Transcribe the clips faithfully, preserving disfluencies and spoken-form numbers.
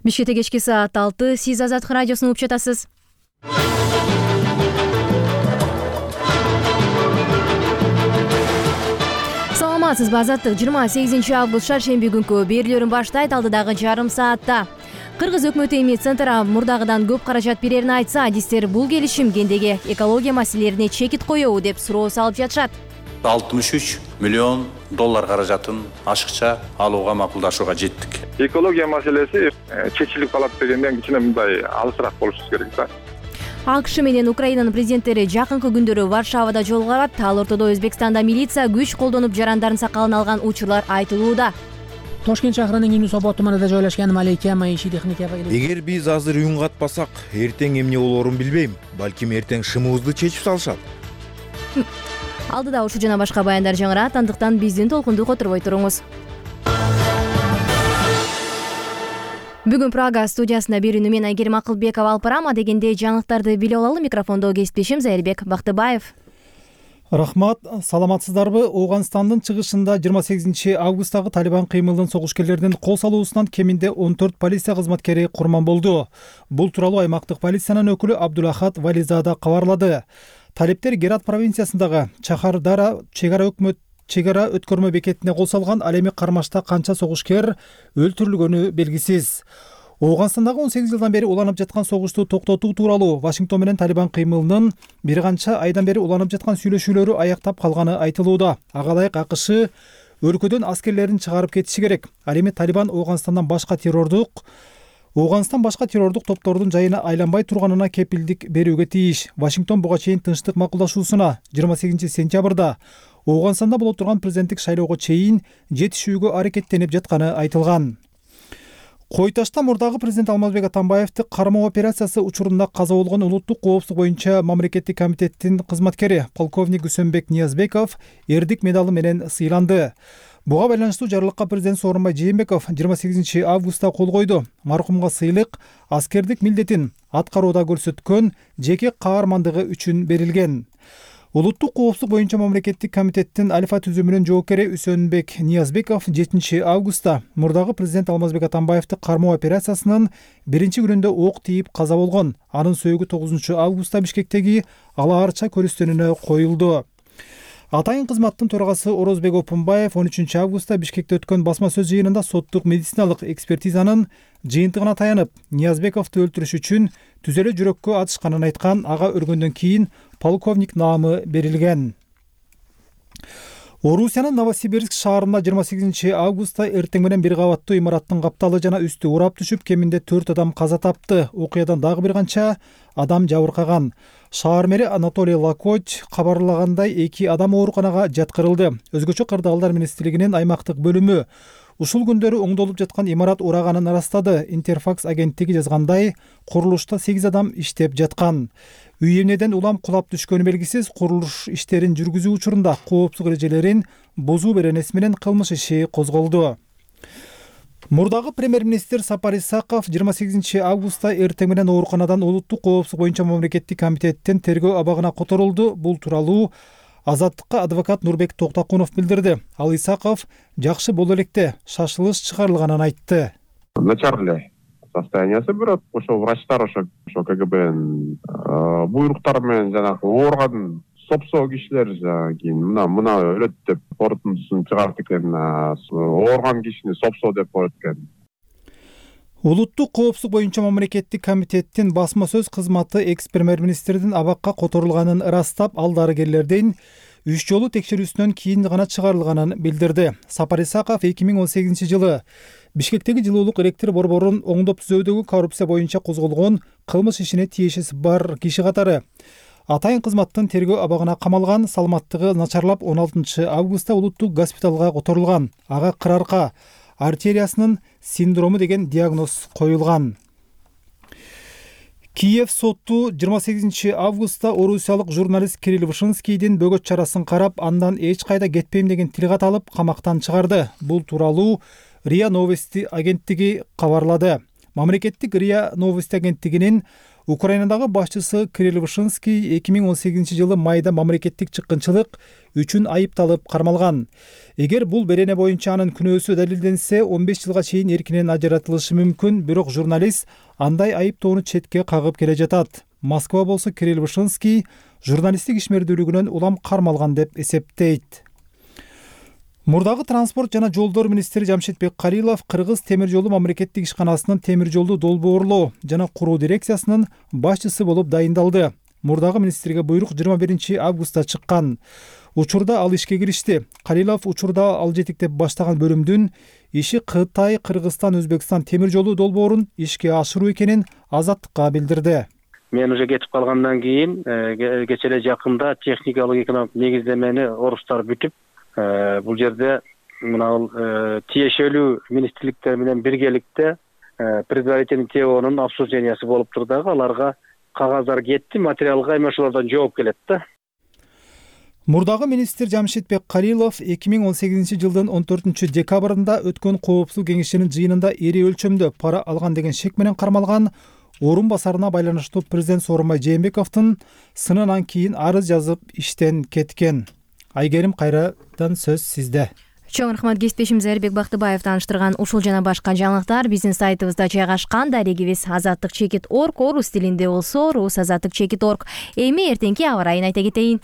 Бишкекте кечки саат алты, сиз Азаттык радиосун угуп жатасыз. Саламатсызбы, Азаттык жыйырма сегизинчи август шаршемби күнкү берүүлөрүн баштайт. Алдыдагы жарым саатта Кыргыз өкмөтү эми Центрга мурдагыдан көп каражат берерин айтса, адистер бул келишим гендеги экология маселелерине чекит коебу деп суроо салып жатышат. алтымыш үч миллион доллар каражатын ашыкча алууга макулдашууга жеттик. Экология маселеси чечилип калат дегенден кичине мындай алысыраак болушубуз керек да. АКШ менен Украинанын президенттери жакынкы күндөрү Варшавада жолугушат. Ал ортодо Өзбекстанда милиция күч колдонуп жарандарын сакалын алган учурлар айтылууда. Тошкент шаарынын Юнус-Абад туманында жайлашкан Малейке маиши техника. Эгер биз азыр үн катпасак, эртең эмне болоорун билбейм. Балким эртең шымыбызды чечип салышат. Алдыда ушул жана башка баяндар жаңырат, андыктан биздин толкунду которбой туруңуз. Бүгүн Прага студиясында берүүнү мен Айгерим Акылбекова алып барам. Дегенде жаңылыктарды биле алалы. Микрофондо кесиптешим Зайырбек Бактыбаев. Рахмат, саламатсыздарбы? Ооганстандын чыгышында жыйырма сегизинчи августтагы Талибан кыймылынын согушкерлердин кол салуусунан кеминде он төрт полиция кызматкери курман болду. Бул тууралуу аймактык полициянын өкүлү Абдулахат Вализада кабарлады. Талиптер Герат провинциясындагы Чахардара чегара өкмөт чегара өткөрмө бекетине кол салган. Ал эми кармашта канча согушкер өлтүрүлгөнү белгисиз. Ооганстандагы он сегиз жылдан бери уланып жаткан согушту токтотуу тууралуу Вашингтон менен Талибан кыймылынын бир канча айдан бери уланып жаткан сүйлөшүүлөрү аяктап калганы айтылууда. Ага ылайык АКШ өлкөдөн аскерлерин чыгарып кетиши керек. Ал эми Талибан Ооганстандан башка террордук Ооганстан башка террордук топтордун жайына айланбай турганына кепилдик берүүгө тийиш. Вашингтон буга чейин тынчтык макулдашуусуна жыйырма сегизинчи сентябрда Ооганстанда боло турган президенттик шайлоого чейин жетишүүгө аракеттенип жатканы айтылган. Кой Ташта мурдагы президент Алмазбек Атамбаевди кармоо операциясы учурунда каза болгон улуттук коопсуздук боюнча мамлекеттик комитеттин кызматкери полковник Үсөнбек Ниязбеков эрдик медалы менен сыйланды. Буга байланыштуу жарлыкка президент Сооронбай Жээнбеков жыйырма сегизинчи августта кол койду. Маркумга сыйлык аскердик милдетин аткарууда көрсөткөн жеке каармандыгы үчүн берилген. Улуттук коопсуздук боюнча мамлекеттик комитеттин альфа түзүмүнүн жоокери Үсөнбек Ниязбеков жетинчи августта мурдагы президент Алмазбек Атамбаевди кармоо операциясынын биринчи күнүндө ок тийип каза болгон. Анын сөөгү тогузунчу августта Бишкектеги Ала Арча көрүстөнүнө коюлду. Атайын кызматтын төрагасы Орозбек Опунбаев он үчүнчү августта Бишкекте өткөн басма сөз жыйынында соттук медициналык экспертизанын жыйынтыгына таянып, Ниязбековду өлтүрүш үчүн түзөлө жүрөккө атышканын айткан. Ага өлгөндөн кийин полковник наамы берилген. Орусиянын Новосибирск шаарында жыйырма сегизинчи августта эртең менен бир кабаттуу имараттын капталы жана үстү урап түшүп, кеминде төрт адам каза тапты. Окуядан дагы бир канча адам жабыркаган. Шаар мэри Анатолий Лакоч кабарлагандай эки адам ооруканага жаткырылды. Өзгөчө кырдаалдар министрлигинин аймактык бөлүмү ушул күндөрү оңдолуп жаткан имарат ураганын ырастады. Интерфакс агенттиги жазгандай, курулушта сегиз адам иштеп жаткан. Үй эмнеден улам кулап түшкөнү белгисиз. Курулуш иштерин жүргүзүү учурунда коопсуздук эрежелерин бузуу беренеси менен кылмыш иши козголду. Мурдагы премьер-министр Сапар Исаков жыйырма сегизинчи августта эртең менен ооруканадан улуттук коопсуздук боюнча мамлекеттик комитеттин тергөө абагына которулду. Бул тууралуу Азаттыкка адвокат Нурбек Токтакунов билдирди. Ал Исаков жакшы боло электе шашылыш чыгарылганын айтты. Начарле состояниясы бирок ошо врачтар ошо ошо КГБнын буйруктары менен жанагы ооруган сопсоо кишилер кийин мына мына өлөт деп корутундусун чыгарат экен. Ооруган кишини сопсоо деп коет экен. Улуттук коопсуздук боюнча мамлекеттик комитеттин басма сөз кызматы экс-премьер-министрдин абакка которулганын ырастап, ал дарыгерлердин үч жолу текшерүүсүнөн кийин гана чыгарылганын билдирди. Сапар Исаков эки миң он сегизинчи жылы Бишкектеги жылуулук электр борборун оңдоп түзүүдөгү коррупция боюнча козголгон кылмыш ишине тиешеси бар киши катары атайын кызматтын тергөө абагына камалган. Саламаттыгы начарлап он алтынчы августта улуттук госпиталга которулган. Ага кырарка артериясынын синдрому деген диагноз коюлган. Киев соту жыйырма сегизинчи августта орусиялык журналист Кирилл Вышинскийдин бөгөт чарасын карап, андан эч кайда кетпейм деген тилге алып камактан чыгарды. Бул тууралуу РИА Новости агенттиги кабарлады. Мамлекеттик РИА Новости агенттигинин Украинадагы башчысы Кирилл Вышинский эки миң он сегизинчи жылы майда мамлекеттик чыккынчылык үчүн айыпталып кармалган. Эгер бул берене боюнча анын күнөөсү далилденсе, он беш жылга чейин эркинен ажыратылышы мүмкүн, бирок журналист андай айыптоону четке кагып келе жатат. Москва болсо Кирилл Вышинский журналисттик ишмердүүлүгүнөн улам кармалган деп эсептейт. Мурдагы транспорт жана жолдор министри Жамшитбек Калилов Кыргыз темир жолу мамлекеттик ишканасынын темир жолду долбоорлоо жана куруу дирекциясынын башчысы болуп дайындалды. Мурдагы министрге буйрук жыйырма биринчи августта чыккан. Учурда ал ишке киришти. Калилов учурда ал жетектеп баштаган бөлүмдүн иши Кытай, Кыргызстан, Өзбекстан темир жолу долбоорун ишке ашыруу экенин Азаттыкка билдирди. Мен уже кетип калгандан кийин кече эле жакында техникалык экономик негиздемени орустар бүтүп, бул жерде мына тиешелүү министрликтер менен биргеликте предварительный ТОнун обсуждениясы болуп тур дагы, аларга кагаздар кетти, материалга эми ошолордон жооп келет да. Мурдагы министр Жамшитбек Калилов эки миң он сегизинчи жылдын он төртүнчү декабрында өткөн коопсуздук кеңешинин жыйынында ири өлчөмдө пара алган деген шек менен кармалган орун басарына байланыштуу президент Сооронбай Жээнбековдун сынынан кийин арыз жазып иштен кеткен. Айгерим, кайрадан сөз сизде. Чоң рахмат, кесиптешим Зайырбек Бактыбаев тааныштырган ушул жана башка жаңылыктар биздин сайтыбызда жайгашкан. Дарегибиз азаттык чекит орг, орус тилинде болсо рус азаттык чекит орг. Эми эртеңки аба ырайын айта кетейин.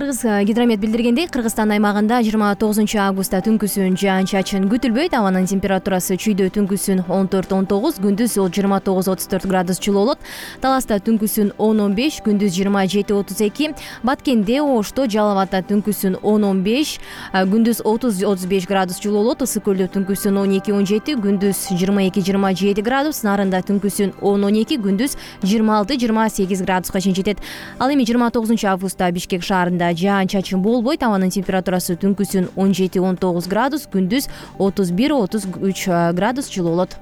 Кыргыз гидромет билдиргендей, Кыргызстан аймагында жыйырма тогузунчу августта түнкүсүн жаан-чачын күтүлбөйт. Абанын температурасы чүйдө түнкүсүн он төрт он тогуз, күндүз жыйырма тогуз отуз төрт градус жылуу болот. Таласта түнкүсүн он он беш, күндүз жыйырма жети отуз эки. Баткенде, Ошто, Жалал абадта түнкүсүн он он беш, күндүз отуз отуз беш градус жылуу болот. Ысык көлдө түнкүсүн он эки он жети, күндүз жыйырма эки жыйырма жети градус. Нарында түнкүсүн он он эки, күндүз жыйырма алты жыйырма сегиз градуска чейин жетет. Ал эми жыйырма тогузунчу августта Бишкек шаарында жаан-чачын болбойт. Абанын температурасы түнкүсүн он жети он тогуз градус, күндүз отуз бир отуз үч градус жылуу болот.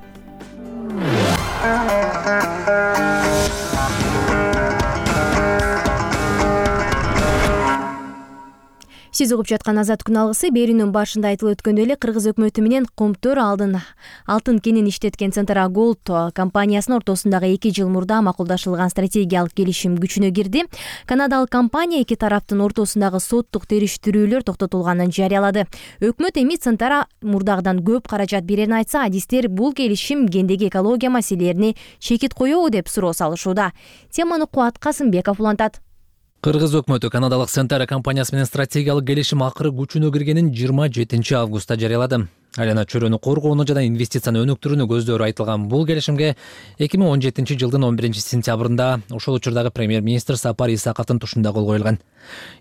Сиз угуп жаткан Азат күн алгысы берүүнүн башында айтылып өткөндөй эле Кыргыз өкмөтү менен Комтөр алдын алтын кенин иштеткен Центра Голд компаниясынын ортосундагы эки жыл мурда макулдашылган стратегиялык келишим күчүнө кирди. Канадалык компания эки тараптын ортосундагы соттук териштирүүлөр токтотулганын жарыялады. Өкмөт эми Центра мурдагыдан көп каражат берерин айтса, адистер бул келишим гендеги экология маселелерине чекит коебу деп суроо салышууда. Теманы Кубат Касымбеков улантат. Кыргыз өкмөтү канадалык Центра компаниясы менен стратегиялык келишим акыры күчүнө киргенин жыйырма жетинчи августта жарыялады. Айлана чөйрөнү коргоону жана инвестицияны өнүктүрүүнү көздөрү айтылган бул келишимге эки миң он жетинчи жылдын он биринчи сентябрында ошол учурдагы премьер-министр Сапар Исаковдун тушунда кол коюлган.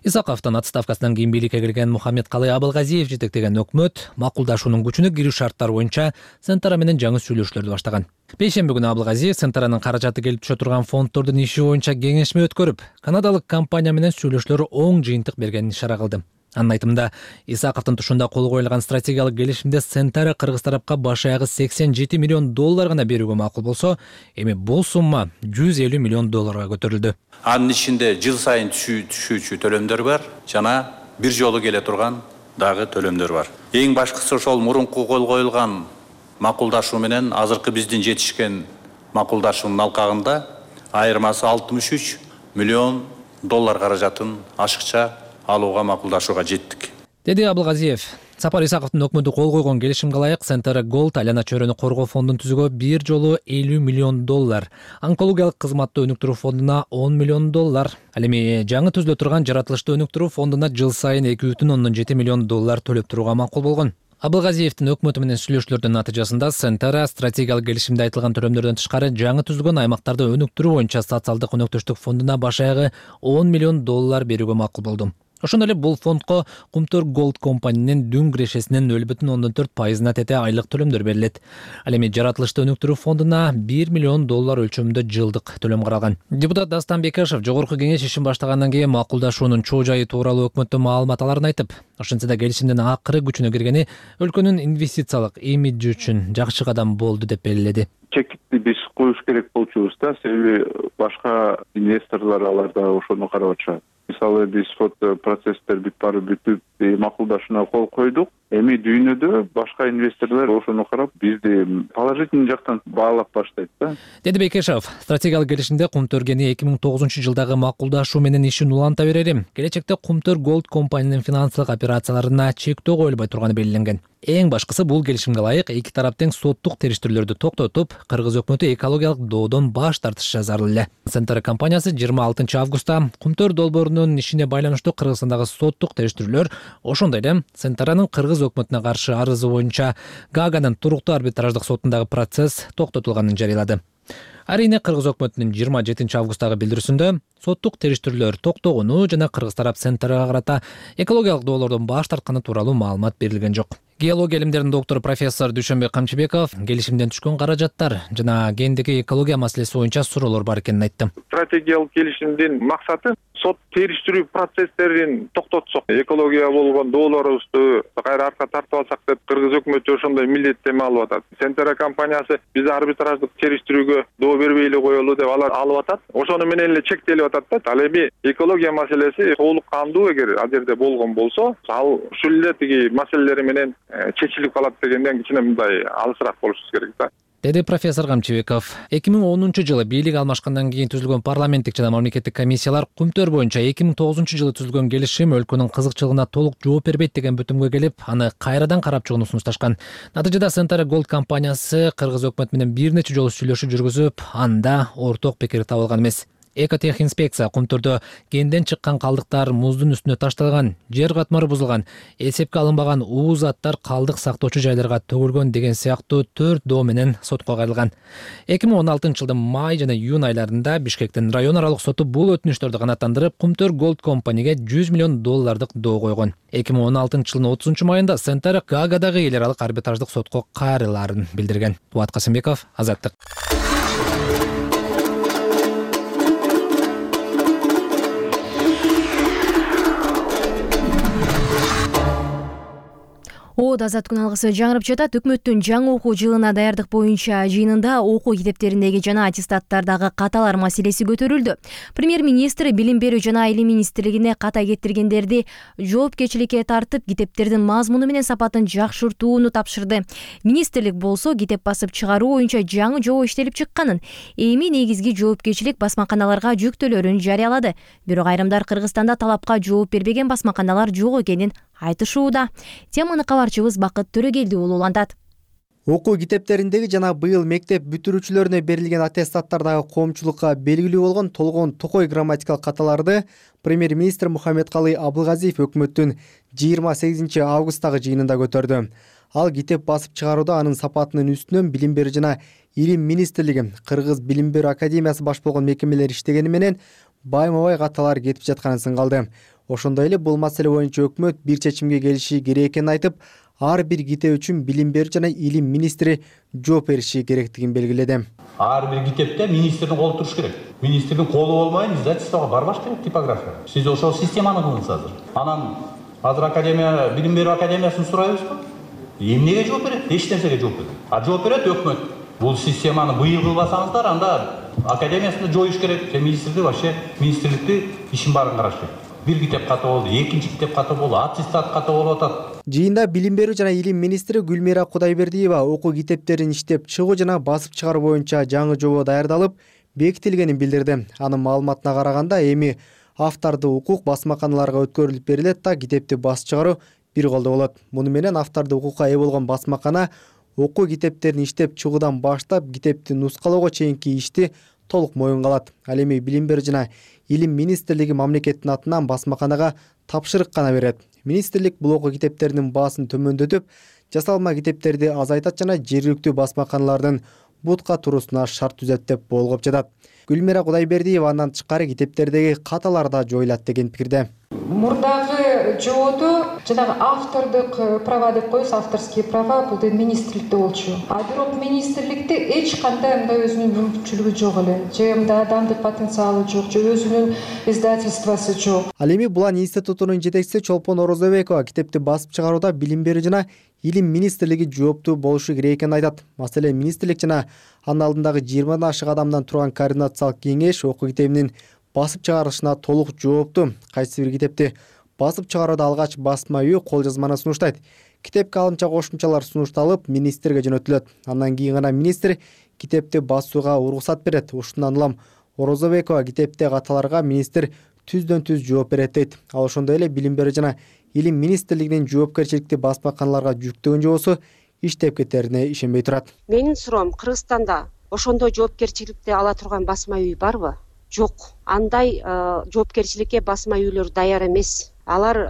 Исаковдун отставкасынан кийин бийликке келген Мухаммедкалый Абылгазиев жетектеген өкмөт макулдашуунун күчүнө кирүү шарттары боюнча Центра менен жаңы сүйлөшүүлөрдү баштаган. Бейшемби күнү Абылгазиев Центранын каражаты келип түшө турган фонддордун иши боюнча кеңешме өткөрүп, канадалык компания менен сүйлөшүүлөр оң жыйынтык бергенин ишара кылды. Анын айтымында, Исаковдун тушунда кол коюлган стратегиялык келишимде Центра Кыргыз тарапка баш аягы сексен жети миллион доллар гана берүүгө макул болсо, эми бул сумма жүз элүү миллион долларга көтөрүлдү. Анын ичинде жыл сайын түшүүчү төлөмдөр бар жана бир жолу келе турган дагы төлөмдөр бар. Эң башкысы ошол мурунку кол коюлган макулдашуу менен азыркы биздин жетишкен макулдашуунун алкагында айырмасы алтымыш үч миллион доллар каражатын ашыкча алууга макулдашууга жеттик, деди Абылгазиев. Сапар Исаковдун өкмөтү кол койгон келишимге ылайык Центра Голд айлана чөйрөнү коргоо фондун түзүүгө бир жолу элүү миллион доллар, онкологиялык кызматты өнүктүрүү фондуна он миллион доллар, ал эми жаңы түзүлө турган жаратылышты өнүктүрүү фондуна жыл сайын эки бүтүн ондон жети миллион доллар төлөп турууга макул болгон. Абылгазиевдин өкмөтү менен сүйлөшүүлөрдүн натыйжасында Центра стратегиялык келишимде айтылган төлөмдөрдөн тышкары жаңы түзүлгөн аймактарды өнүктүрүү боюнча социалдык өнөктөштүк фондуна баш аягы он миллион доллар берүүгө макул болду. Ошондой эле бул фондко Комтөр Голд компаниянын дүң кирешесинин нөл бүтүн ондон төрт пайызына тете айлык төлөмдөр берилет. Ал эми жаратылышты өнүктүрүү фондуна бир миллион доллар өлчөмүндө жылдык төлөм каралган. Депутат Дастан Бекешев жогорку кеңеш ишин баштагандан кийин макулдашуунун чоо жайы тууралуу өкмөттөн маалымат аларын айтып, ошентсе да келишимдин акыры күчүнө киргени өлкөнүн инвестициялык имиджи үчүн жакшы кадам болду деп белгиледи. Чекитти биз коюш керек болчубуз да, себеби башка инвесторлор алар да ошону карап атышат. мисалы дисход процесстер бүт баары бүтүп макулдашууна кол койдук. Эми дүйнөдө башка инвесторлор ошону карап бизди положительный жактан баалап баштайт да. Деди Бекешев, стратегиялык келишимде Кумтөргени эки миң тогузунчу жылдагы макулдашуу менен ишин уланта берери. Келечекте Кумтөр Голд компаниянын финансылык операцияларына чектөө коюлбай турганы белгиленген. Эң башкысы бул келишимге ылайык эки тарап тең соттук териштирүүлөрдү токтотуп, Кыргыз өкмөтү экологиялык доодон баш тартышы зарыл эле. Центр компаниясы жыйырма алтынчы августта Кумтөр долбоорунун ишине байланыштуу Кыргызстандагы соттук териштирүүлөр, ошондой эле Центранын Кыргыз өкмөтүнө каршы арызы боюнча Гааганын туруктуу арбитраждык сотундагы процесс токтотулганын жарыялады. Арийне Кыргыз өкмөтүнүн жыйырма жетинчи августтагы билдирүүсүндө соттук териштирүүлөр токтогону жана Кыргыз тарап Центрга карата экологиялык доолордон баш тартканы тууралуу маалымат берилген жок. Геология илимдеринин доктору профессор Дүйшөнбек Камчыбеков келишимден түшкөн каражаттар жана гендеги экология маселеси боюнча суроолор бар экенин айтты. Стратегиялык келишимдин максаты сот териштирүү процесстерин токтотсок, экология болгон доолорубузду кайра арка тартып алсак деп Кыргыз өкмөтү ошондой милдеттенме алып атат. Центра компаниясы биз арбитраждык териштирүүгө доо бербей эле коелу деп алар алып атат. Ошону менен эле чектелип атат да. Ал эми экология маселеси толук кандуу эгер ал жерде болгон болсо, ал ушул эле тиги маселелери менен чечилип калат дегенден кичине мындай алысыраак болушубуз керек да. Деди профессор Камчыбеков. эки миң онунчу жылы бийлик алмашкандан кийин түзүлгөн парламенттик жана мамлекеттик комиссиялар Кумтөр боюнча эки миң тогузунчу жылы түзүлгөн келишим өлкөнүн кызыкчылыгына толук жооп бербейт деген бүтүмгө келип, аны кайрадан карап чыгууну сунушташкан. Натыйжада Центра Голд компаниясы Кыргыз өкмөтү менен бир нече жолу сүйлөшүү жүргүзүп, анда орток пикир табылган эмес. Экотех инспекция Кумтөрдө кенден чыккан калдыктар муздун үстүнө ташталган, жер катмары бузулган, эсепке алынбаган уу заттар калдык сактоочу жайларга төгүлгөн деген сыяктуу төрт доо менен сотко кайрылган. эки миң он алтынчы жылдын май жана июнь айларында Бишкектин район аралык соту бул өтүнүштөрдү канааттандырып, Кумтөр Голд компанияга жүз миллион доллардык доо койгон. эки миң он алтынчы жылдын отузунчу майында Центр Гаагадагы эл аралык арбитраждык сотко кайрылаарын билдирген. Туат Касымбеков, Азаттык. Оод азаттыктын алгысы жаңырып жатат. Өкмөттүн жаңы окуу жылына даярдык боюнча жыйынында окуу китептериндеги жана аттестаттардагы каталар маселеси көтөрүлдү. Премьер-министр Билим берүү жана Илим министрлигине ката кетиргендерди жоопкерчиликке тартып, китептердин мазмуну менен сапатын жакшыртууну тапшырды. Министрлик болсо китеп басып чыгаруу боюнча жаңы жобо иштелип чыкканын, эми негизги жоопкерчилик басмаканаларга жүктөлөрүн жарыялады. Бирок айрымдар Кыргызстанда талапка жооп бербеген басмаканалар жок экенин айтышууда. Теманы кабарчыбыз Бакыт Төрөгелди улантат. Окуу китептериндеги жана быйыл мектеп бүтүрүүчүлөрүнө берилген аттестаттардагы коомчулукка белгилүү болгон толгон токой грамматикалык каталарды премьер-министр Мухаммедкалый Абылгазиев өкмөттүн жыйырма сегизинчи августтагы жыйынында көтөрдү. Ал китеп басып чыгарууда анын сапатынын үстүнөн Билим берүү жана Илим министрлиги, Кыргыз Билим берүү академиясы баш болгон мекемелер иштегени менен байма-бай каталар кетип жатканын сынгалды. Ошондой эле бул маселе боюнча өкмөт бир чечимге келиши керек экенин айтып, ар бир китеп үчүн Билим берүү жана Илим министри жооп бериши керектигин белгиледи. Ар бир китепте министрдин колу туруш керек. Министрдин колу болмайын издательствого барбаш керек, типография. Сиз ошол системаны кылыңыз азыр. Анан азыр академия, Билим берүү академиясын сурайбызбы? Эмнеге жооп берет? Эч нерсеге жооп берет. А жооп берет өкмөт. Бул системаны быйыл кылбасаңыздар, анда академиясында жоюш керек. Же министрди вообще министрликти ишин баарын караш керек. Бир китеп ката болду, экинчи китеп ката болду, аттестат ката болуп атат. Жыйында Билим берүү жана Илим министри Гүлмира Кудайбердиева окуу китептерин иштеп чыгуу жана басып чыгаруу боюнча жаңы жобо даярдалып, бекитилгенин билдирди. Анын маалыматына караганда, эми автордуу укук басмаканаларга өткөрүлүп берилет да китепти басып чыгаруу бир колдо болот. Муну менен автордуу укукка ээ болгон басмакана окуу китептерин иштеп чыгуудан баштап китепти нускалоого чейинки ишти толук моюнга алат. Ал эми Билим берүү жана Илим министрлиги мамлекеттин атынан басмаканага тапшырык гана берет. Министрлик бул окуу китептеринин баасын төмөндөтүп, жасалма китептерди азайтат жана жергиликтүү басмаканалардын бутка туруусуна шарт түзөт деп болгоп жатат. Гүлмира Кудайбердиева андан тышкары китептердеги каталар да жоюлат деген пикирде. Мурдагы жободо жанагы автордук права деп коебуз, авторские права бул да министрликте болчу. А бирок министрликте эч кандай мындай өзүнүн мүмкүнчүлүгү жок эле. Же мындай адамдык потенциалы жок, же өзүнүн издательствосу жок. Ал эми Булан институтунун жетекчиси Чолпон Орозобекова китепти басып чыгарууда Билим берүү жана Илим министрлиги жооптуу болушу керек экенин айтат. Маселен, министрлик жана анын алдындагы жыйырмадан ашык адамдан турган координациялык кеңеш окуу китебинин басып чыгарышына толук жоопту. Кайсы бир китепти басып чыгарууда алгач басма үй кол жазманы сунуштайт. Китепке алымча кошумчалар сунушталып, министрге жөнөтүлөт. Андан кийин гана министр китепти басууга уруксат берет. Ушундан улам Орозобекова китепте каталарга министр түздөн түз жооп берет дейт. Ал ошондой эле Билим берүү жана Илим министрлигинин жоопкерчиликти басмаканаларга жүктөгөн жобосу иштеп кетерине ишенбей турат. Менин суроом, Кыргызстанда ошондой жоопкерчиликти ала турган басма үй барбы? Жок. Андай жоопкерчиликке басма үйлөр даяр эмес. Алар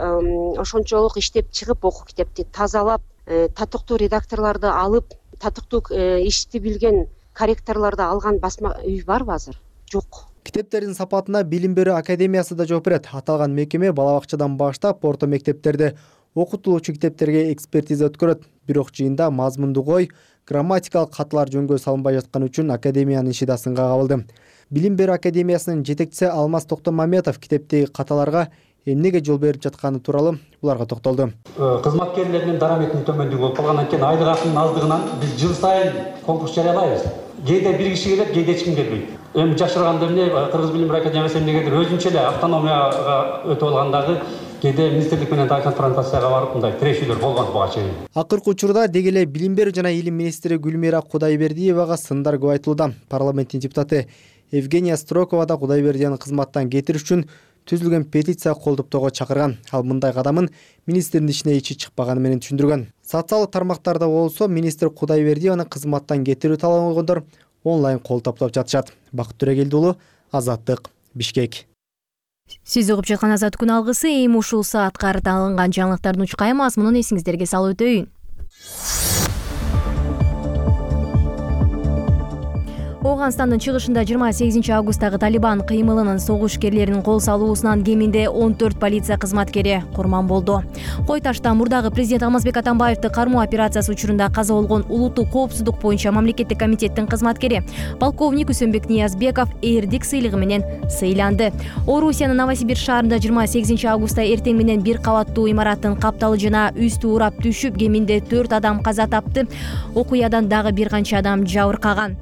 ошончолук иштеп чыгып окуу китепти тазалап, татыктуу редакторлорду алып, татыктуу ишти билген корректорлорду алган басма үй барбы азыр? Жок. Китептердин сапатына Билим берүү академиясы да жооп берет. Аталган мекеме бала бакчадан баштап орто мектептерде окутулуучу китептерге экспертиза өткөрөт. Бирок жыйында мазмундук ой, грамматикалык каталар жөнгө салынбай жатканы үчүн академиянын иши да сынга кабылды. Билим берүү академиясынын жетекчиси Алмаз Токтомамедов китепти каталарга эмнеге жол берип жатканы тууралуу буларга токтолду. Кызматкерлердин дараметинин төмөндүгү болуп калгандан кийин айлык акынын аздыгынан биз жыл сайын конкурс жарыялайбыз. Кээде бир киши келет, кээде эч ким келбейт. Эми жашырганда эмне Кыргыз Билим берүү академиясы эмнегедир өзүнчө эле автономияга өтүп алгандагы кээде министрлик менен да конфронтацияга барып мындай тирешүүлөр болгон буга чейин. Акыркы учурда деги эле Билим берүү жана Илим министри Гүлмира Кудайбердиевага сындар көп айтылууда. Парламенттин депутаты Евгения Строкова да Кудайбердиевни кызматтан кетириш үчүн түзүлгөн петиция колдоптоого чакырган. Ал мындай кадамын министрдин ичине ичи чыкпаганы менен түшүндүргөн. Социалдык тармактарда болсо министр Кудайбердиевни кызматтан кетирүү талабын койгондор онлайн кол топтоп жатышат. Бакыт Төрегелди уулу, Азаттык, Бишкек. Сиз угуп жаткан Азаттык күн алгысы эми ушул саатка карата алынган жаңылыктардын учкай мазмунун эсиңиздерге салып өтөйүн. Оганстандын чыгышында жыйырма сегизинчи августтагы Талибан кыймылынын согушкерлеринин кол салуусунан кеминде он төрт полиция кызматкери курман болду. Кой Ташта мурдагы президент Алмазбек Атамбаевди кармоо операциясы учурунда каза болгон улуттук коопсуздук боюнча мамлекеттик комитеттин кызматкери полковник Үсөнбек Ниязбеков эрдик сыйлыгы менен сыйланды. Орусиянын Новосибирск шаарында жыйырма сегизинчи августта эртең менен бир кабаттуу имараттын капталы жана үстү урап түшүп, кеминде төрт адам каза тапты. Окуядан дагы бир канча адам жабыркаган.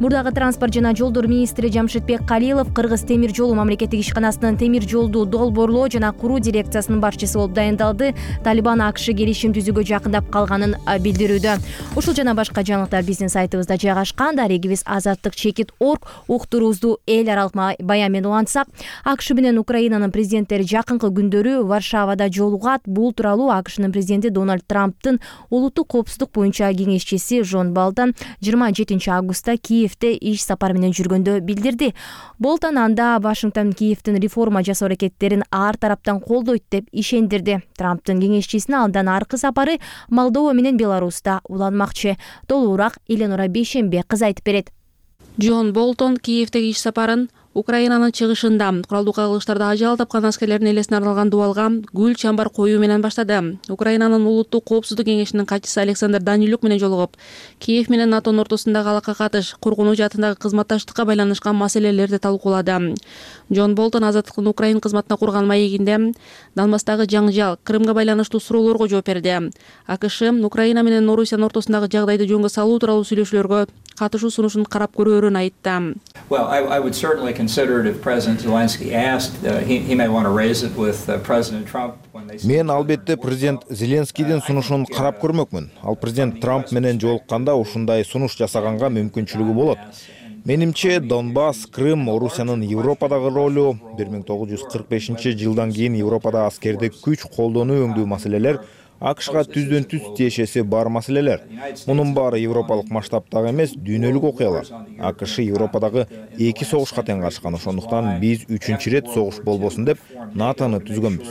Мурдагы транспорт жана жолдор министри Жамшитбек Калилов Кыргыз темир жолу мамлекеттик ишканасынын темир жолду долбоорлоо жана куруу дирекциясынын башчысы болуп дайындалды. Талибан АКШ келишим түзүүгө жакындап калганын билдирүүдө. Ушул жана башка жаңылыктар биздин сайтыбызда жайгашкан. Дарегибиз азаттык чекит точка орг. Уктуруубузду эл аралык баян менен улантсак, АКШ менен Украинанын президенттери жакынкы күндөрү Варшавада жолугат. Бул тууралуу АКШнын президенти Дональд Трамптын улуттук коопсуздук боюнча кеңешчиси Жон Болтон жыйырма жетинчи августта Киевде иш сапар менен жүргөндө билдирди. Болтон анда Вашингтон Киевдин реформа жасоо аракеттерин ар тараптан колдойт деп ишендирди. Трамптын кеңешчисине андан аркы сапары Молдова менен Беларуста уланмакчы. Толугураак Эленора Бейшембе кыз айтып берет. Джон Болтон Киевдеги иш сапарын Украинанын чыгышында куралдуу кагылыштарда ажал тапкан аскерлердин элесине арналган дубалга гүл чамбар коюу менен баштады. Украинанын улуттук коопсуздук кеңешинин катчысы Александр Данилюк менен жолугуп, Киев менен НАТОнун ортосундагы алака катыш, коргонуу жаатындагы кызматташтыкка байланышкан маселелерди талкуулады. Джон Болтон азаттыктын Украин кызматына курган маегинде Донбасстагы жаңжал, Крымга байланыштуу суроолорго жооп берди. АКШ Украина менен Орусиянын ортосундагы жагдайды жөнгө салуу тууралуу сүйлөшүүлөргө катышуу сунушун карап көрөөрүн айтты. Well, I, I would certainly consider it if President Zelensky asked. Uh, he, he may want to raise it with uh, President Trump when they. Мен албетте президент Зеленскийдин сунушун карап көрмөкмүн. Ал президент Трамп менен жолукканда ушундай сунуш жасаганга мүмкүнчүлүгү болот. Менимче Донбасс, Крым, Орусиянын Европадагы ролу бир миң тогуз жүз кырк бешинчи жылдан кийин Европада аскердик күч колдонуу өңдүү маселелер АКШга түздөн түз тиешеси бар маселелер. Мунун баары европалык масштабтагы эмес, дүйнөлүк окуялар. АКШ Европадагы эки согушка тең катышкан, ошондуктан биз үчүнчү ирет согуш болбосун деп НАТОну түзгөнбүз.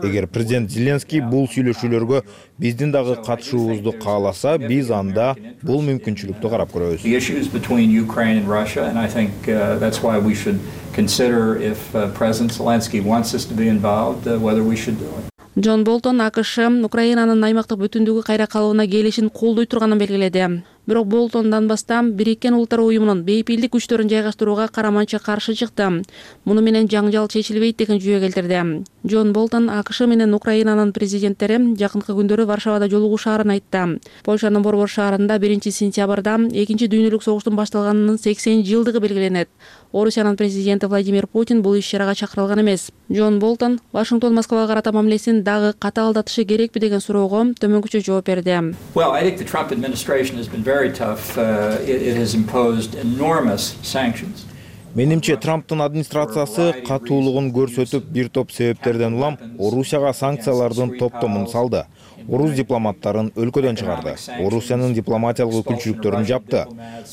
Эгер президент Зеленский бул сүйлөшүүлөргө биздин дагы катышуубузду кааласа, биз анда бул мүмкүнчүлүктү карап көрөбүз. The issues between Ukraine and Russia, and I think uh, that's why we should consider if uh, President Zelensky wants us to be involved, uh, whether we should do it. Джон Болтон АКШ Украинанын аймактык бүтүндүгү кайра калууна келишин колдой турганын белгиледи. Бирок Болтон Донбасстан Бириккен Улуттар Уюмунун бейпилдик күчтөрүн жайгаштырууга караманча каршы чыкты. Муну менен жаңжал чечилбейт деген жүйө келтирди. Джон Болтон АКШ менен Украинанын президенттери жакынкы күндөрү Варшавада жолугушаарын айтты. Польшанын Борбор шаарында биринчи сентябрда экинчи дүйнөлүк согуштун башталганынын сексен жылдыгы белгиленет. Орусиянын президенти Владимир Путин бул иш-чарага чакырылган эмес. Джон Болтон Вашингтон Москвага карата мамилесин дагы катаалдатышы керекпи деген суроого төмөнкүчө жооп берди. Well, I think the Trump administration has been very tough. Uh, it, it has imposed enormous sanctions. Менимче Трамптын администрациясы катуулугун көрсөтүп, бир топ себептерден улам Орусияга санкциялардын топтомун салды. Орус дипломаттарын өлкөдөн чыгарды. Орусиянын дипломатиялык өкүлчүлүктөрүн жапты.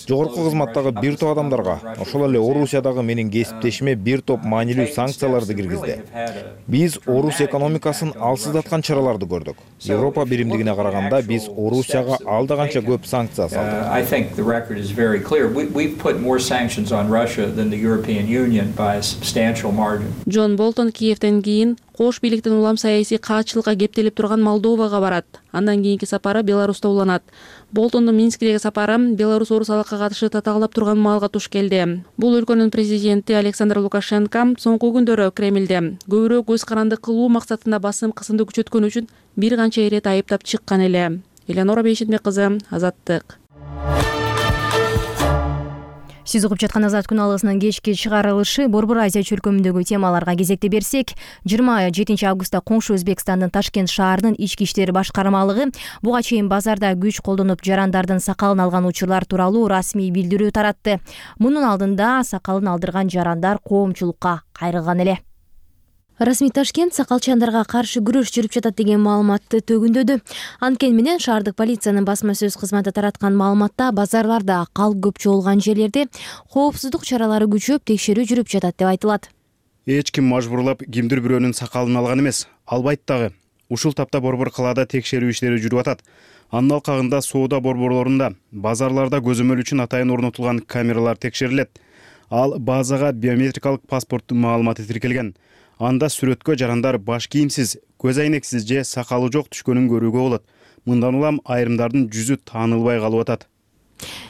Жогорку кызматтагы бир топ адамдарга, ошол эле Орусиядагы менин кесиптешиме бир топ маанилүү санкцияларды киргизди. Биз Орус экономикасын алсыздаткан чараларды көрдүк. Европа биримдигине караганда биз Орусияга алда канча көп санкция салдык. I think the record is very clear. We, we've put more sanctions on Russia than the European Union by a substantial margin. Джон Болтон Киевден кийин кош бийликтин улам саясий каатчылыкка кептелип турган Молдовага барат. Андан кийинки сапары Беларуста уланат. Болтондун Минскидеги сапары Беларусь орус алакка катышы татаалдап турган маалга туш келди. Бул өлкөнүн президенти Александр Лукашенко соңку күндөрү Кремлде көбүрөөк көз каранды кылуу максатында басым кысымды күчөткөн үчүн бир канча ирет айыптап чыккан эле. Эленора Бейшетбек кызы, Азаттык. Сиз угуп жаткан Азат күн алгысынын кечки чыгарылышы Борбор Азия чөлкөмүндөгү темаларга кезекте берсек, жыйырма жетинчи августта коңшу Өзбекстандын Ташкент шаарынын ички иштер башкармалыгы буга чейин базарда күч колдонуп жарандардын сакалын алган учурлар тууралуу расмий билдирүү таратты. Мунун алдында сакалын алдырган жарандар коомчулукка кайрылган эле. Расмий Ташкент сакалчандарга каршы күрөш жүрүп жатат деген маалыматты төгүндөдү. Анткени менен шаардык полициянын басма сөз кызматы тараткан маалыматта базарларда калк көп чогулган жерлерде коопсуздук чаралары күчөп текшерүү жүрүп жатат деп айтылат. Эч ким мажбурлап кимдир бирөөнүн сакалын алган эмес, албайт дагы. Ушул тапта борбор калаада текшерүү иштери жүрүп атат. Анын алкагында соода борборлорунда, базарларда көзөмөл үчүн атайын орнотулган камералар текшерилет. Ал базага биометрикалык паспорттун маалыматы тиркелген. Анда сүрөткө жарандар баш кийимсиз, көз айнексиз же сакалы жок түшкөнүн көрүүгө болот. Мындан улам айрымдардын жүзү таанылбай калып атат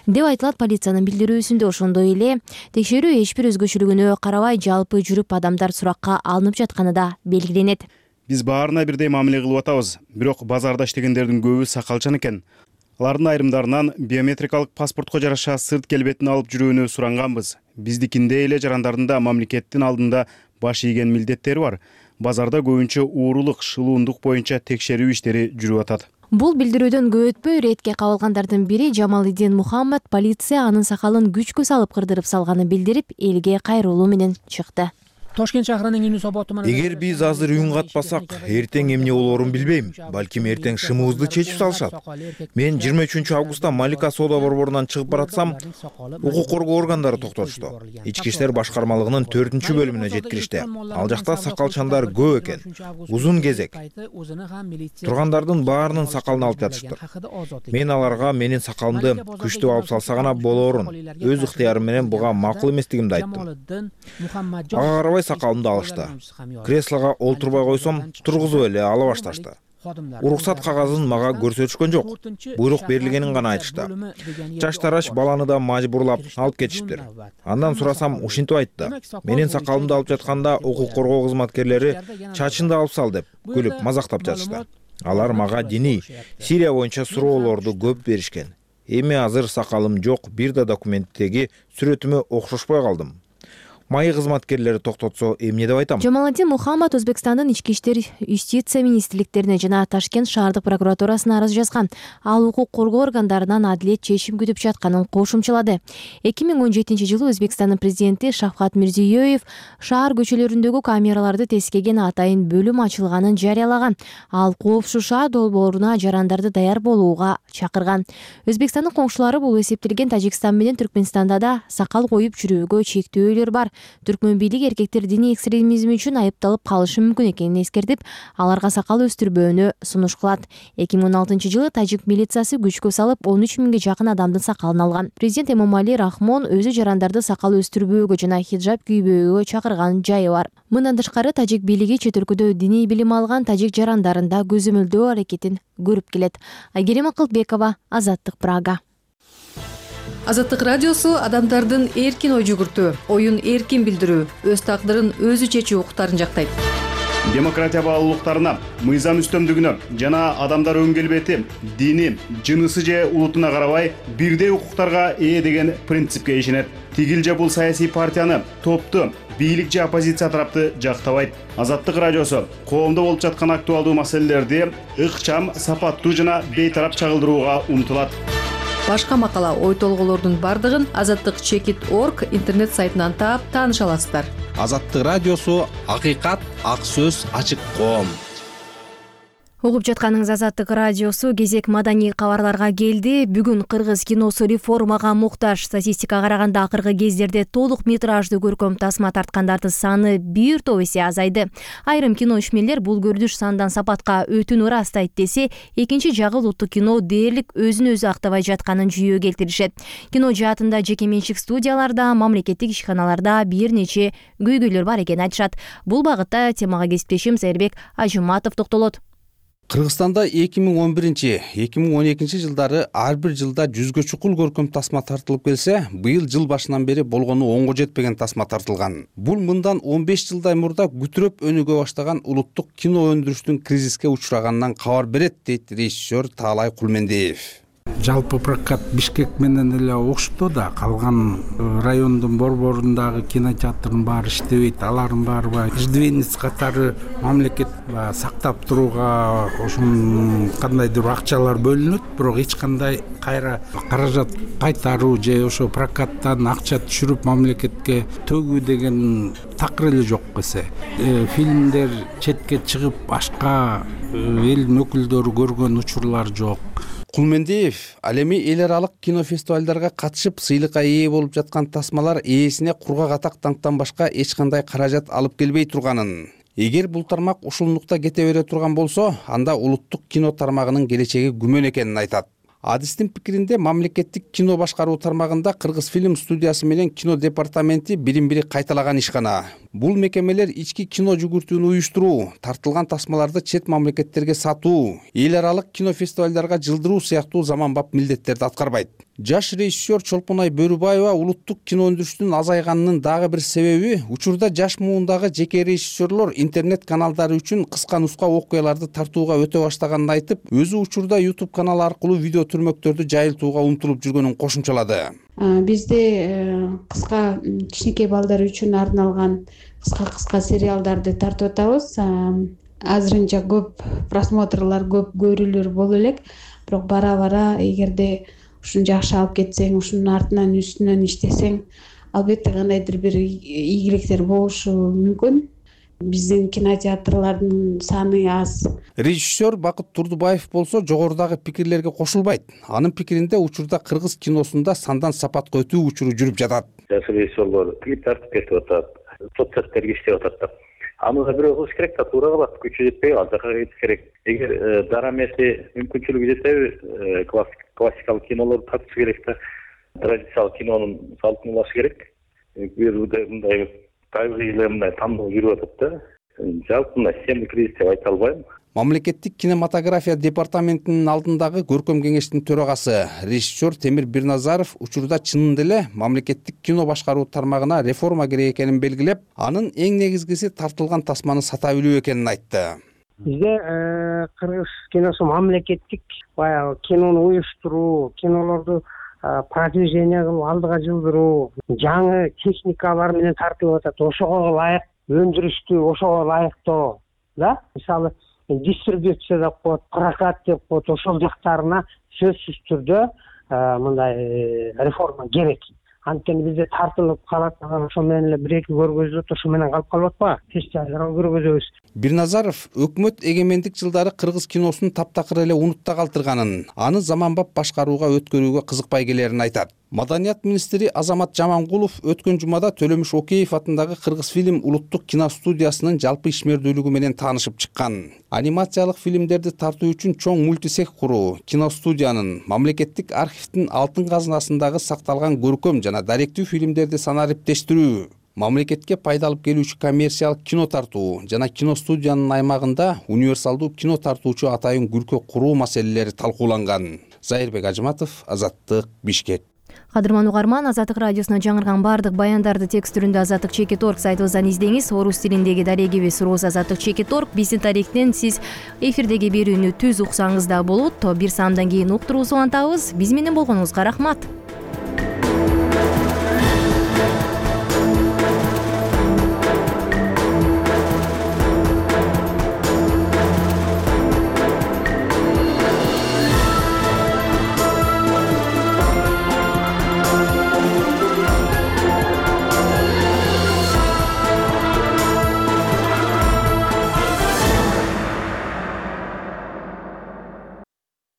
деп айтылат полициянын билдирүүсүндө. Ошондой эле текшерүү эч бир өзгөчөлүгүнө карабай жалпы жүрүп адамдар суракка алынып жатканы да белгиленет. Биз баарына бирдей мамиле кылып атабыз, бирок базарда иштегендердин көбү сакалчан экен. Алардын айрымдарынан биометрикалык паспортко жараша сырт келбетин алып жүрүүнү суранганбыз. Биздикиндей эле жарандардын да мамлекеттин алдында баш ийген милдеттери бар. Базарда көбүнчө уурулук, шылуундук боюнча текшерүү иштери жүрүп атат. Бул билдирүүдөн көп өтпөй иретке кабылгандардын бири Жамалиддин Мухаммад полиция анын сакалын күчкө салып кырдырып салганын билдирип, элге кайрылуу менен чыкты. Ташкент шаарынын Инү соботу менен эгер биз азыр үн катпасак, эртең эмне болоорун билбейм. Балким эртең шымыбызды чечип салышат. Мен жыйырма үчүнчү августта Малика соода борборунан чыгып баратсам, укук коргоо органдары токтотушту. Ички иштер башкармалыгынын төртүнчү бөлүмүнө жеткиришти. Ал жакта сакалчандар көп экен. Узун кезек. Тургандардын баарынын сакалын алып жатышты. Мен аларга менин сакалымды күчтүү алып салса гана болоорун, өз ыктыярым менен буга макул эместигимди айттым. Ага карабай сакалымды алышты. Креслого олтурбай койсом, тургузуп эле ала башташты. Уруксат кагазын мага көрсөтүшкөн жок. Буйрук берилгенин гана айтышты. Чач тараш баланы да мажбурлап алып кетишиптир. Андан сурасам, ушинтип айтты. Менин сакалымды алып жатканда укук коргоо кызматкерлери чачынды алып сал деп күлүп мазактап жатышты. Алар мага диний, Сирия боюнча суроолорду көп беришкен. Эми азыр сакалым жок, бир да документтеги сүрөтүмө окшошпой калдым. Майы кызматкерлери токтотсо эмне деп айтам? Жамалиддин Мухаммад Өзбекстандын ички иштер юстиция министрликтерине жана Ташкент шаардык прокуратурасына арыз жазган. Ал укук коргоо органдарынан адилет чечим күтүп жатканын кошумчалады. эки миң он жетинчи жылы Өзбекстандын президенти Шавкат Мирзиёев шаар көчөлөрүндөгү камераларды тескеген атайын бөлүм ачылганын жарыялаган. Ал коопсуз шаар долбооруна жарандарды даяр болууга чакырган. Өзбекстандын коңшулары бул эсептелген Тажикстан менен Түркмөнстанда да сакал коюп жүрүүгө чектөөлөр бар. Түркмөн бийлиги эркектер диний экстремизм үчүн айыпталып калышы мүмкүн экенин эскертип, аларга сакал өстүрбөөнү сунуш кылат. эки миң он алтынчы жылы тажик милициясы күчкө салып он үч миңге жакын адамдын сакалын алган. Президент Эмомали Рахмон өзү жарандарды сакал өстүрбөөгө жана хиджаб кийбөөгө чакырган жайы бар. Мындан тышкары тажик бийлиги чет өлкөдө диний билим алган тажик жарандарын да көзөмөлдөө аракетин көрүп келет. Айгерим Акылбекова, Азаттык, Прага. Азаттык радиосу адамдардын эркин ой жүгүртүү, оюн эркин билдирүү, өз тагдырын өзү чечүү укуктарын жактайт. Демократия баалуулуктарына, мыйзам үстөмдүгүнө жана адамдар өн келбети, дини, жынысы же улутуна карабай бирдей укуктарга ээ деген принципке ишенет. Тигил же бул саясий партияны, топту, бийлик же оппозиция тарапты жактабайт. Азаттык радиосу коомдо болуп жаткан актуалдуу маселелерди ыкчам, сапаттуу жана бейтарап чагылдырууга умтулат. Башка макала, ой толголордун бардыгын азаттык чекит точка орг интернет сайтынан таап тааныша аласыздар. Азаттык радиосу акыйкат, ак сөз, ачык коом. Угуп жатканыңыз Азаттык радиосу. Кезек маданий кабарларга келди. Бүгүн кыргыз киносу реформага муктаж. Статистикага караганда акыркы кездерде толук метраждуу көркөм тасма тарткандардын саны бир топ эсе азайды. Айрым кино ишмерлер бул көрүнүш сандан сапатка өтүүнү ырастайт десе, экинчи жагы улуттук кино дээрлик өзүн өзү актабай жатканын жүйө келтиришет. Кино жаатында жеке менчик студияларда, мамлекеттик ишканаларда бир нече көйгөйлөр бар экенин айтышат. Бул багытта темага кесиптешим Зайырбек Ажыматов токтолот. Кыргызстанда эки миң он биринчи — эки миң он экинчи жылдары ар бир жылда жүзгө чукул көркөм тасма тартылып келсе, быйыл жыл башынан бери болгону онго жетпеген тасма тартылган. Бул мындан он беш жылдай мурда күтүрөп өнүгө баштаган улуттук кино өндүрүштүн кризиске учураганынан кабар берет, дейт режиссер Таалай Кулмендиев. Жалпы прокат Бишкек менен эле окшотту да, калган райондун борборундагы кинотеатрдын баары иштебейт, алардын баары иждивенец катары мамлекет сактап турууга ошон кандайдыр акчалар бөлүнөт, бирок эч кандай кайра каражат кайтаруу же ошо прокаттан акча түшүрүп мамлекетке төгүү деген такыр эле жок эсе. Фильмдер четке чыгып башка элдин өкүлдөрү көргөн учурлар жок. Кулмендиев ал эми эл аралык кинофестивалдарга катышып сыйлыкка ээ болуп жаткан тасмалар ээсине кургак атактан башка эч кандай каражат алып келбей турганын, эгер бул тармак ушулнукта кете бере турган болсо, анда улуттук кино тармагынын келечеги күмөн экенин айтат. Адистин пикиринде, мамлекеттик кино башкаруу тармагында Кыргыз фильм студиясы менен кино департаменти бирин-бири кайталаган ишкана. Бул мекемелер ички кино жүгүртүүнү уюштуруу, тартылган тасмаларды чет мамлекеттерге сатуу, эл аралык кинофестивалдарга жылдыруу сыяктуу заманбап милдеттерди аткарбайт. Жаш режиссер Чолпонай Бөрүбаева улуттук кино өндүрүштүн азайганынын дагы бир себеби учурда жаш муундагы жеке режиссерлор интернет каналдары үчүн кыска нуска окуяларды тартууга өтө баштаганын айтып, өзү учурда YouTube канал аркылуу видео түрмөктөрдү жайылтууга умтулуп жүргөнүн кошумчалады. Бизде кыска кичинекей балдар үчүн арналган кыска-кыска сериалдарды тартып атабыз. Азырынча көп просмотрлар, көп көрүүлөр боло элек, бирок бара-бара эгерде ушуну жакшы алып кетсең, ушунун артынан үстүнөн иштесең, албетте кандайдыр бир ийгиликтер болушу мүмкүн. Биздин кинотеатрлардын саны аз. Режиссер Бакыт Турдубаев болсо жогорудагы пикирлерге кошулбайт. Анын пикиринде учурда кыргыз киносунда сандан сапатка өтүү учуру жүрүп жатат. Жаш режиссерлор тиги тартып кетип атат, соцсеттерге иштеп атат. Аны да бирөө кылыш керек да, туура калат, күчү жетпей ал жака кетиш керек. Эгер дарамеси мүмкүнчүлүгү жетеби, классикалык кинолорду тартыш керек да, традициялык кинонун салтын улаш керек. Мындай табигый эле мындай тандоо жүрүп атат да. Жалпы мына системдик кризис деп айта албайм. Мамлекеттик кинематография департаментинин алдындагы көркөм кеңештин төрагасы режиссер Темир Бирназаров учурда чынында эле мамлекеттик кино башкаруу тармагына реформа керек экенин белгилеп, анын эң негизгиси тартылган тасманы сата билүү экенин айтты. Бизде кыргыз киносу мамлекеттик баягы кинону уюштуруу, кинолорду продвижение кылып алдыга жылдыруу, жаңы техникалар менен тартылып атат. Ошого ылайык өндүрүштү, ошого ылайыктоо, да? Мисалы, дистрибьюция деп коет, прокат деп коет, ошол жактарына сөзсүз түрдө мындай реформа керек. Анткени бизде тартылып калат, ошо менен эле бир-эки көргөзөт, ошо менен калып калып атпайбы? Фестивалдарга көргөзөбүз. Бирназаров өкмөт эгемендик жылдары кыргыз киносун таптакыр эле унутта калтырганын, аны заманбап башкарууга өткөрүүгө кызыкпай келерин айтат. Маданият министри Азамат Жамангулов өткөн жумада Төлөмүш Океев атындагы Кыргыз фильм улуттук киностудиясынын жалпы ишмердүүлүгү менен таанышып чыккан. Анимациялык фильмдерди тартуу үчүн чоң мультисех куруу, киностудиянын, мамлекеттик архивдин алтын казынасындагы сакталган көркөм жана даректүү фильмдерди санариптештирүү, мамлекетке пайда алып келүүчү коммерциялык кино тартуу жана киностудиянын аймагында универсалдуу кино тартуучу атайын күркө куруу маселелери талкууланган. Зайырбек Ажыматов, Азаттык, Бишкек. Кадырман угарман, Азаттык радиосуна жаңырган баардык баяндарды текст түрүндө Азаттык чекит точка орг сайтыбыздан издеңиз. Орус тилиндеги дарегибиз Роз Азаттык чекит точка орг. Биздин тарихтен сиз эфирдеги берүүнү түз уксаңыз да болот. Бир саамдан кийин уктуруусу антабыз. Биз менен болгонуңузга рахмат.